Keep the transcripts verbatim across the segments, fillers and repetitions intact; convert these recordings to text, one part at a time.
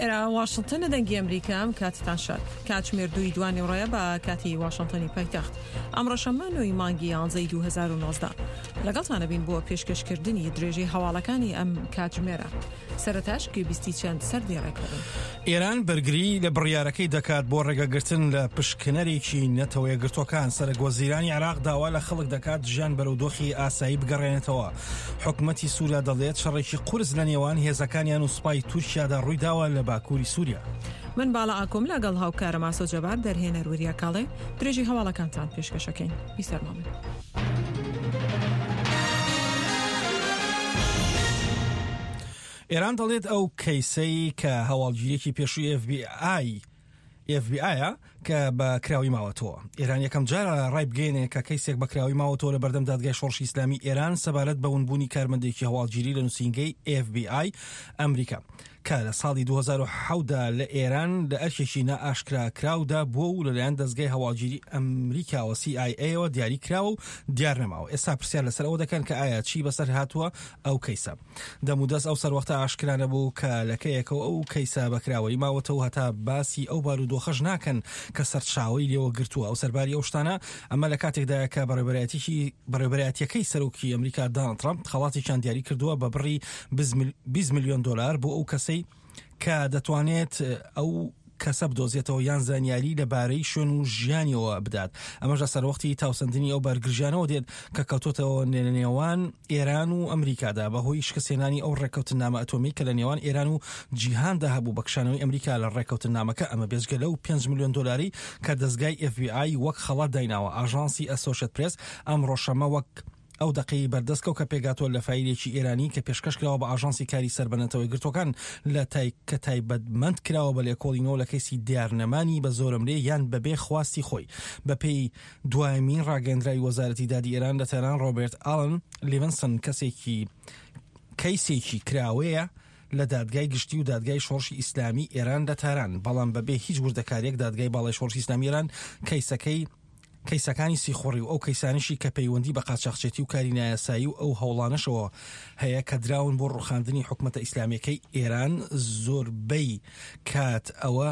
ئێرە واشنتن دەنگی ئەمریکا ئەم کاتتان شاد. کاتژمێر دووی دوانیوەڕۆیە بە کاتی واشنتنی پایتەخت. ئەمڕۆ شەممە نۆی مانگی یانزەی دوو هەزار و نۆزدە. لەگەڵتانە بین بۆ پێشکەشکردنی درێژەی هەواڵەکانی ئەم کاتژمێرە. سەرەتاش گوێبیستی چەند سەردێڕێک دەبن. ئێران بەرگری لە بڕیارەکەی دەکات بۆ ڕێگەگرتن لە پشکنەرێکی نەتەوە یەکگرتووەکان. سەرەک وەزیرانی عێراق داوا لە خەڵک دەکات ژیان بەرەو دۆخی ئاسایی بگەڕێنێتەوە. حکومەتی سووریا دەڵێت شەڕێکی قورس لە نێوان هێزەکانیان و سوپای تورکیادا ڕوویداوە لە باکووری سووریا. من باڵا ئاکۆم لەگەڵ هاوکارم ئاسۆ جەبار دەرهێنەر وریا کاڵێ درێژی هەواڵەکانتان پێشکەشەکەین. بیسەرماڵێ. ئێران دەڵێت ئەو کەیسەی کە هەواڵگیریەکی پێشووی ئێف بی ئای ئێف بی ئایە کە بە کراوی ماوەتەوە. ئێران یەکەم جارە ڕای بگەینێ کە کەیسێک بە کراوی ماوەتەوە لە بەردەم دادگای شۆڕشی ئیسلامی ئێران سەبارەت بە ونبوونی کارمەندێکی هەواڵگیری لە نووسینگەی ئێف بی ئای ئەمریکا کە لە ساڵی دوو هەزار و حەوت دا لە ئێران لە ئەرکێکی نائاشکراکراودا بووە و لەلایەن دەزگای هەواڵگیری ئەمریکاوە سی ئای ئەیەوە دیاری کراوە و دیار نەماوە. ئێستا پرسیار لەسەر ئەوە دەکەن کە ئایا چی بەسەر هاتووە ئەو کەیسە. دەمودەست ئەو سەروەختە ئاشکرا نەبوو کە لەکەیەکەوە ئەو کەیسە بەکراوەی ماوەتەوە هەتا باسی ئەو بارودۆخەش ناکەن کە سەرچاوەی لێوە گرتووە. ئەو سەرباری ئەو شتانە ئەمە لە کاتێکدایە کە بەڕێوەبەرایەتیەکەی سەرۆکی ئەمریکا داناڵد ترامپ خەڵاتێکیان دیاری کردووە بە بڕی بیست ملیۆن دلار بۆ ئەو کەسەی کە دەتوانێت ئەو کەسە بدۆزێتەوە یان زانیاری لەبارەی شوێن و ژیانیەوە بدات. ئەمەش لە سەروەختی تاوسەندنی ئەو بارگرژیانەوە دێت کە کەوتۆتەوە نێوان ئێران و ئەمریکادا بەهۆی شکستهێنانی ئەو ڕێککەوتنامە ئەتۆمی کە لە نێوان ئێران و جیهاندا هەبوو بە کشانەوەی ئەمریکا لە ڕێککەوتنامەکە. ئەمە بێجگە لەو پێنج ملیۆن دلاری کە دەزگای ئێف بی ئای وەک خەڵات دایناوە. ئاژانسی ئەسۆشێت پرێس ئەمڕۆ شەممە وەک ئەو دەقەی بەردەستکەوت کە پێگاتوە لە فایلێکی ئێرانی کە پێشکەش کراوە بە ئاژانسی کاری سەر بە نەتەوە یەکگرتووەکان لە تای کە تایبەتمەند کراوە بە لێکۆڵینەوە لە کەیسی دیارنەمانی بە زۆرەملێ یان بەبێ خواستی خۆی. بەپێی دوایمین ڕاگەندراوی وەزارەتی دادی ئێران لە تاران، ڕۆبەرت ئالن لیڤنسن کەسێکی کەیسێکی کراوەیە لە دادگای گشتی و دادگای شۆڕشی ئیسلامی ئێران لە تاران، بەڵام بەبێ هیچ وردەکاریەک دادگای باڵای شۆڕشی ئیسلامی ئێران کەیسەکەی کەیسەکانی سیخوڕی و ئەو کەیسانیشی کە پەیوەندی بە قاچاخچێتی و کاری نایاسایی و ئەو هەوڵانەشەوە هەیە کە دراون بۆ ڕوخاندنی حکومەتە ئیسلامیەکەی ئێران زۆربەی کات ئەوە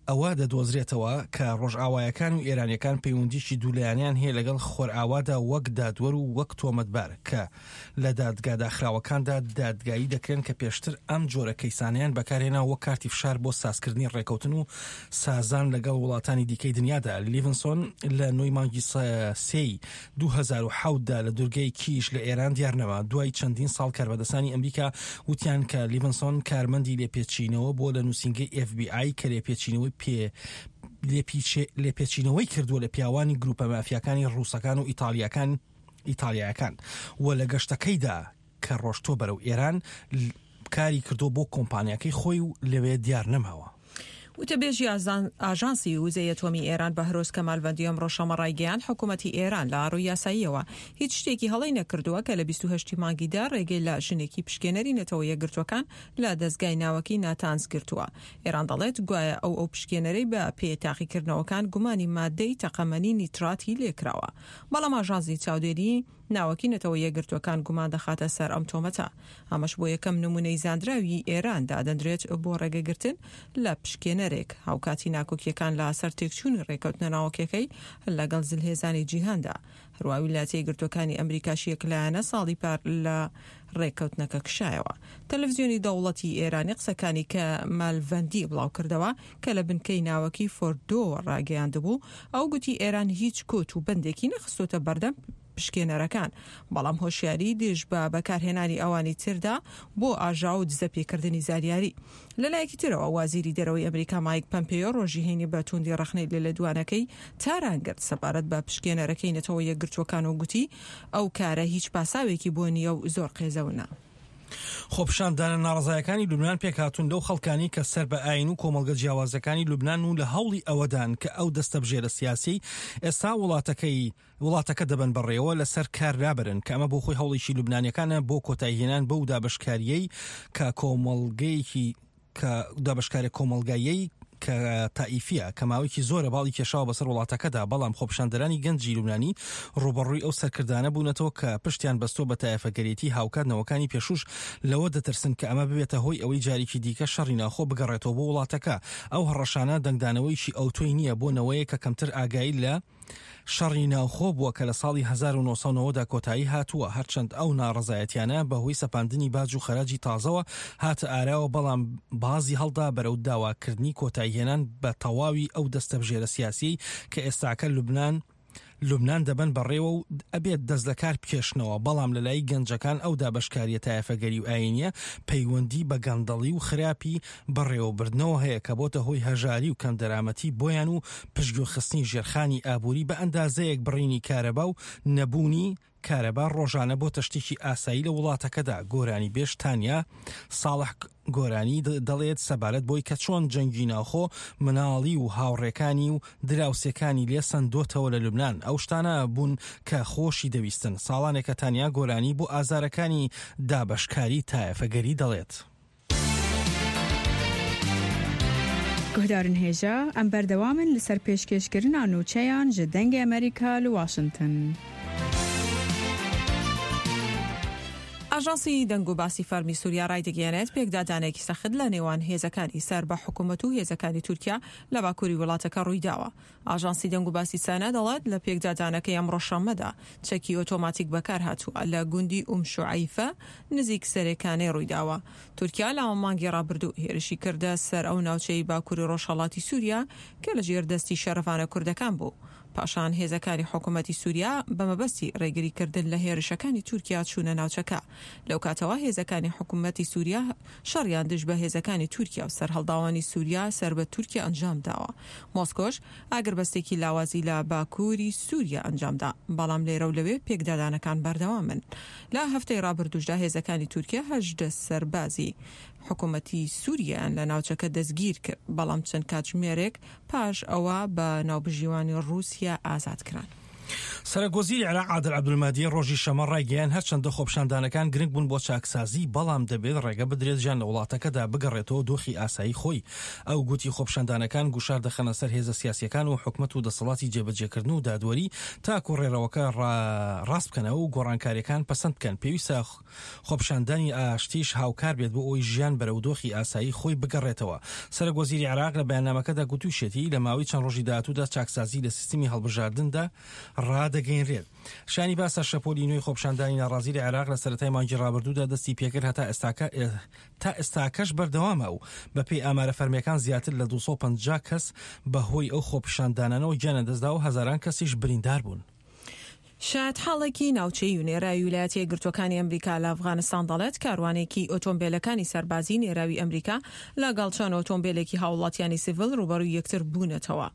ئەوە دەدۆزرێتەوە کە ڕۆژئاوایەکان و ئێرانیەکان پەیوەندیکی دوولایەنیان هەیە لەگەڵ خۆرئاوادا وەک دادوەر و وەک تۆمەتبار کە لە دادگا داخراوەکاندا دادگایی دەکرێن کە پێشتر ئەم جۆرە کەیسانیان بەکارهێنا وەک کارتی فشار بۆ سازکردنی ڕێکەوتن و سازان لەگەڵ وڵاتانی دیکەی دنیادا. لیڤنسۆن لە نۆی مانگی سێی دوو هەزار و حەوت دا لە دورگەی کیش لە ئێران دیارنەما. دوای چەندین ساڵ کاربەدەستانی ئەمریکا وتیان کە لیڤنسۆن کارمەندی لێپێچینەوە بۆ لە نووسینگەی ئێف بی ئای کە لێپێچینەوەی پێ لێپێچینەوەی کردووە لە پیاوانی گروپە مافیاکانی ڕووسەکان و ئیتالیاکان ئیتالیاکان و لە گەشتەکەیدا کە ڕۆشتۆ بەرەو ئێران کاری کردو بۆ کۆمپانیاکەی خۆی و لەوێ دیار نەماوە. وتەبێژی ئاژانسی وزەی ئەتۆمی ئێران بەهرۆز کەمالڤەندی ئەمڕۆ شەممە ڕایگەیاند حکوومەتی ئێران لە ڕووی یاساییەوە هیچ شتێکی هەڵەی نەکردووە کە لە بیست و هەشت مانگیدا ڕێگەی لە ژنێکی پشکێنەری نەتەوە یەکگرتووەکان لە دەزگای ناوەکی ناتانز گرتووە. ئێران دەڵێت گوایە ئەو ئەو پشکێنەرەی بە پێی تاقیکردنەوەکان گومانی مادەی تەقەمەنی نیتراتی لێکراوە، بەڵام ئاژانسی چاودێری ناوەکی نەتەوە یەکگرتووەکان گومان دەخاتە سەر ئەم تۆمەتە. ئەمەش بۆ یەکەم نمونەی زاندراوی ئێران دادەندرێت بۆ ڕێگەگرتن لە پشکێنەرێک، هاوکاتی ناکۆکیەکان لە سەر تێکچوونی ڕێکەوتنە ناوەکیەکەی لەگەڵ زلهێزانی جیهاندا. هەروە ویلایەتە یەکگرتووەکانی ئەمریکاش یەکلایەنە ساڵی پار لە ڕێککەوتنەکە کشایەوە. تەلەڤزیۆنی دەوڵەتی ئێرانی قسەکانی کە مالڤەندی بڵاو کردەوە کە لە بنکەی ناوەکی فۆردۆوە ڕاگەیاندبوو، ئەو گوتی ئێران هیچ کۆت و بەندێکی نەخستۆتە بەردەم پشکێنەرەکان، بەڵام هۆشیاری دژ بە بەکارهێنانی ئەوانی تردا بۆ ئاژاوە و دزەپێکردنی زانیاری. لەلایەکی ترەوە وەزیری دەرەوەی ئەمریکا مایک پەمپێیۆ ڕۆژی هەینی بە توندی ڕەخنەی لە لێدوانەکەی تاران گرت سەبارەت بە پشکێنەرەکەی نەتەوە یەکگرتووەکان و گوتی ئەو کارە هیچ پاساوێکی بۆ نییە و زۆر قێزەونە. خۆپیشاندانە ناڕەزایەکانی لوبنان پێکهاتوون لەو خەڵکانی کە سەر بە ئایین و کۆمەڵگە جیاوازەکانی لوبنان و لە هەوڵی ئەوەدان کە ئەو دەستەبژێرە سیاسی ئێستا وڵاتەکەی وڵاتەکە دەبەن بەڕێوە لەسەر کار لابرن، کە ئەمە بۆ خۆی هەوڵێکی لوبنانیەکانە بۆ کۆتاییهێنان بەو دابەشکاریەی کە کۆمەڵگەیەکی کە دابەشکارە کۆمەڵگاییەی کە تائیفیە کە ماوەیەکی زۆرە باڵی کێشاوە بەسەر وڵاتەکەدا، بەڵام خۆپیشاندەرانی گەنجی لوبنانی ڕووبەڕووی ئەو سەرکردانە بوونەتەوە کە پشتیان بەستووە بە تایەفەگەرێتی. هاوکات نەوەکانی پێشوش لەوە دەترسن کە ئەمە ببێتە هۆی ئەوەی جارێکی دیکە شەڕی ناوخۆ بگەڕێتەوە بۆ وڵاتەکە. ئەو هەڕەشانە دەنگدانەوەیکی ئەوتۆی نییە بۆ نەوەیە کە کەمتر ئاگایی لە شەڕی ناوخۆ بووە کە لە ساڵی هەزار و نۆ سەد و نەوەد دا کۆتایی هاتووە. هەرچەند ئەو ناڕەزایەتیانە بەهۆی سەپاندنی باج و خەراجی تازەوە هاتە ئاراوە، بەڵام بازی هەڵدا بەرەو داواکردنی کۆتاییهێنان بە تەواوی ئەو دەستەبژێرە سیاسیەی کە ئێستاکە لوبنان لوبنان دەبەن بەڕێوە و ئەبێت دەست لە کار بکێشنەوە. بەڵام لەلای گەنجەکان ئەو دابەشکاریە تایەفەگەری و ئاینیە پەیوەندی بە گەندەڵی و خراپی بەڕێوەبردنەوە هەیە کە بۆتە هۆی هەژاری و کەمدەرامەتی بۆیان و پشتگوێخستنی ژێرخانی ئابووری بە ئەندازەیەک بڕینی کارەبا و نەبوونی کارەبا ڕۆژانە بۆتە شتێکی ئاسایی لە وڵاتەکەدا. گۆرانی بێژ تانیا ساڵح گۆرانی دەڵێت سەبارەت بۆی کە چۆن جەنگی ناوخۆ مناڵی و هاوڕێکانی و دراوسێکانی لێ سەندۆتەوە لە لوبنان. ئەو شتانە بوون کە خۆشی دەویستن. ساڵانێکە تانیا گۆرانی بۆ ئازارەکانی دابەشکاری تایەفەگەری دەڵێت. گوهدارن هێژا ئەم بەردەوامن لەسەر پێشکێشکردنا نوچەیان ji دەنگê ئەمریکا li واشنگتن. ئاژانسی دەنگ و باسی فەرمی سووریا ڕایدەگەیەنێت پێکدادانێکی سەخت لە نێوان هێزەکانی سەر بە حکوومەت و هێزەکانی تورکیا لە باکووری وڵاتەکە ڕوویداوە. ئاژانسی دەنگ و باسی سانا دەڵێت لە پێکدادانەکەی ئەمڕۆ شەممەدا چەکی ئۆتۆماتیک بەکارهاتووە لە گوندی ئوم شوعەیفە نزیک سەرێکانەی ڕوویداوە. تورکیا لە مانگی ڕابردوو هێرشی کردە سەر ئەو ناوچەی باکووری ڕۆژهەڵاتی سووریا کە لەژێر دەستی شەرەفانە کوردەکان بوو. پاشان هێزەکانی حکوومەتی سووریا بە مەبەستی ڕێگریکردن لە هێرشەکانی تورکیا چوونە ناوچەکە. لەو کاتەوە هێزەکانی حکوومەتی سووریا شەڕیان دژ بە هێزەکانی تورکیا و سەرهەڵداوانی سووریا سەر بە تورکیا ئەنجام داوە. مۆسکۆش ئاگربەستێکی لاوازی لە باکووری سووریا ئەنجامدا، بەڵام لێرە و لەوێ پێکدادانەکان بەردەوامن. لە هەفتەی ڕابردووشدا هێزەکانی تورکیا هەژدە سەربازی حکوومەتی سووریایان لە ناوچەکە دەستگیر کرد، بەڵام چەند کاتژمێرێک پاش ئەوە بە ناوبژیوانی ڕووسیا ئازاد کران. سەرۆک وەزیری عێراق عادل عەبدولمادی ڕۆژی شەممە ڕایگەیاند هەرچەندە خۆپیشاندانەکان گرنگ بوون بۆ چاکسازی، بەڵام دەبێت ڕێگە بدرێت ژیان لە وڵاتەکەدا بگەڕێتەوە دۆخی ئاسایی خۆی. ئەو گوتی خۆپیشاندانەکان گوشار دەخەنە سەر هێزە سیاسیەکان و حکومەت و دەسەڵاتی جێبەجێکردن و دادوەری تاکو ڕێڕەوەکە ڕاست بکەنەوە و گۆڕانکاریەکان پەسەند بکەن. پێویستە خۆپیشاندانی ئاشتیش هاوکار بێت بۆ ئەوەی ژیان بەرەو دۆخی ئاسایی خۆی بگەڕێتەوە. سەرۆک وەزیری عێراق لە بەیاننامەکەدا گوتووشێتی لە ماوەی چەند ڕۆژی داهاتوودا چاکسازی لە سیستمی هەڵبژاردندا ڕادەگەینرێت. شانی باسە شەپۆلی نوێی خۆپیشاندانی ناڕازی لە عێراق لە سەرەتای مانگی ڕابردوودا دەستی پێکرد هەتا ئێستاکە تا ئێستاکەش بەردەوامە و بەپێی ئامارە فەرمیەکان زیاتر لە دوو سەد و پەنجا کەس بەهۆی ئەو خۆپیشاندانانەوە گیانیان دەستدا و هەزاران کەسیش بریندار بوون. شایەتحاڵێکی ناوچەی و نێراوی ویلایەتە یەکگرتووەکانی ئەمریکا لە ئەفغانستان دەڵێت کاروانێکی ئۆتۆمبیلەکانی سەربازی نێراوی ئەمریکا لەگەڵ چەند ئۆتۆمبیلێکی هاوڵاتیانی سیڤیل ڕووبەڕووی یەکتر بوونەتەوە.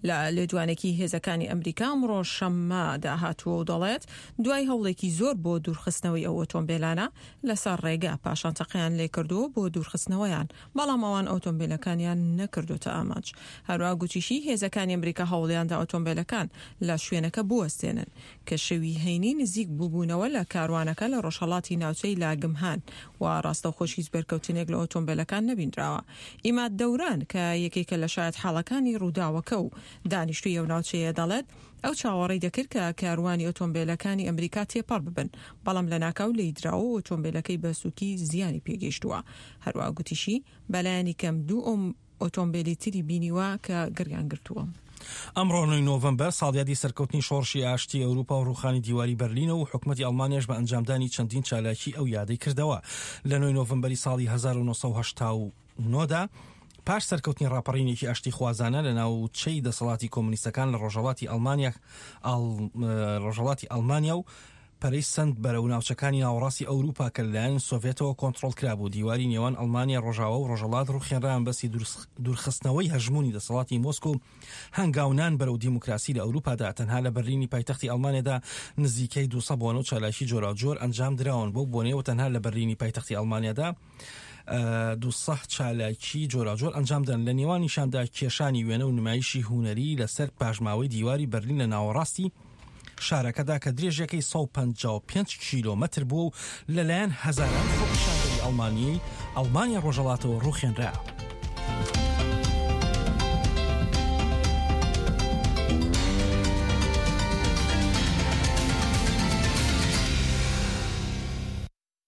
لە لێدوانێکی هێزەکانی ئەمریکا ئەمڕۆ شەممەدا هاتووە و دەڵێت دوای هەوڵێکی زۆر بۆ دوورخستنەوەی ئەو ئۆتۆمبیلانە لەسەر ڕێگا پاشان تەقیان لێکردووە بۆ دوورخستنەوەیان، بەڵام ئەوان ئۆتۆمبیلەکانیان نەکردوتە ئامانج. هەروەها گوتیشی هێزەکانی ئەمریکا هەوڵیاندا ئۆتۆمبیلەکان لە شوێنەکە بوەستێنن کە شەوی هەینی نزیک بووبوونەوە لە کاروانەکە لە ڕۆژهەڵاتی ناوچەی لاگمهان و ڕاستەوخۆش هیچ بەرکەوتنێک لە ئۆتۆمبیلەکان نەبینراوە. ئیماد دەوران کە یەکێکە لە شایەتحاڵەکانی ڕووداوەکە و دانیشتووی ئەو ناوچەیە دەڵێت ئەو چاوەڕێی دەکرد کە کاروانی ئۆتۆمبیلەکانی ئەمریکا تێپەڕ ببن، بەڵام لەناکاو لێیدراوە و ئۆتۆمبیلەکەی بە سووکی زیانی پێگەیشتووە. هەروەها گوتیشی بەلایەنی کەم دوو ئۆتۆمبیلی تری بینیوە کە گڕیان گرتووە. ئەمڕۆ نۆی نۆڤەمبەر ساڵیادی سەرکەوتنی شۆڕشی ئاشتی ئەوروپا و ڕووخانی دیواری بەرلینە و حکومەتی ئەڵمانیاش بە ئەنجامدانی چەندین چالاکی ئەو یادەی کردەوە. لە نۆی نۆڤەمبەری ساڵی هەزار و نۆ سەد و هەشتا و نۆ دا پاش سەرکەوتنی ڕاپەڕینێکی ئاشتی خوازانە لە ناوچەی دەسەڵاتی کۆمۆنیستەکان لە ڕۆژهەڵاتی ئەڵمانیا ڕۆژهەڵاتی ئەڵمانیا و پەرەی سەند بەرەو ناوچەکانی ناوەڕاستی ئەوروپا کە لەلایەن سۆڤێتەوە کۆنترۆڵ کرابوو. دیواری نێوان ئەڵمانیا ڕۆژاوا و ڕۆژهەڵات ڕووخێنران بەسی دوورخستنەوەی هەژموونی دەسەڵاتی مۆسکۆ و هەنگاونان بەرەو دیموکراسی لە ئەوروپادا. تەنها لە بەرلینی پایتەختی ئەڵمانیادا نزیکەی دوو سەد بۆنە و چالاکی جۆراوجۆر ئەنجام دراون. بەو بۆنەیەوە تەنها لە بەرلینی پایتەختی ئەڵمانیادا دوو سەد چالاکی جۆراوجۆر ئەنجام دەن، لە نێوانیشاندا کێشانی وێنە و نمایشی هونەری لەسەر پاشماوەی دیواری بەرلین لە ناوەڕاستی شارەکەدا کە درێژەکەی سەد و پەنجا و پێنج کیلۆمەتر بووە و لەلایەن هەزاران خۆپیشاندەری ئەڵمانی ئەڵمانیا ڕۆژهەڵاتەوە ڕووخێنرا.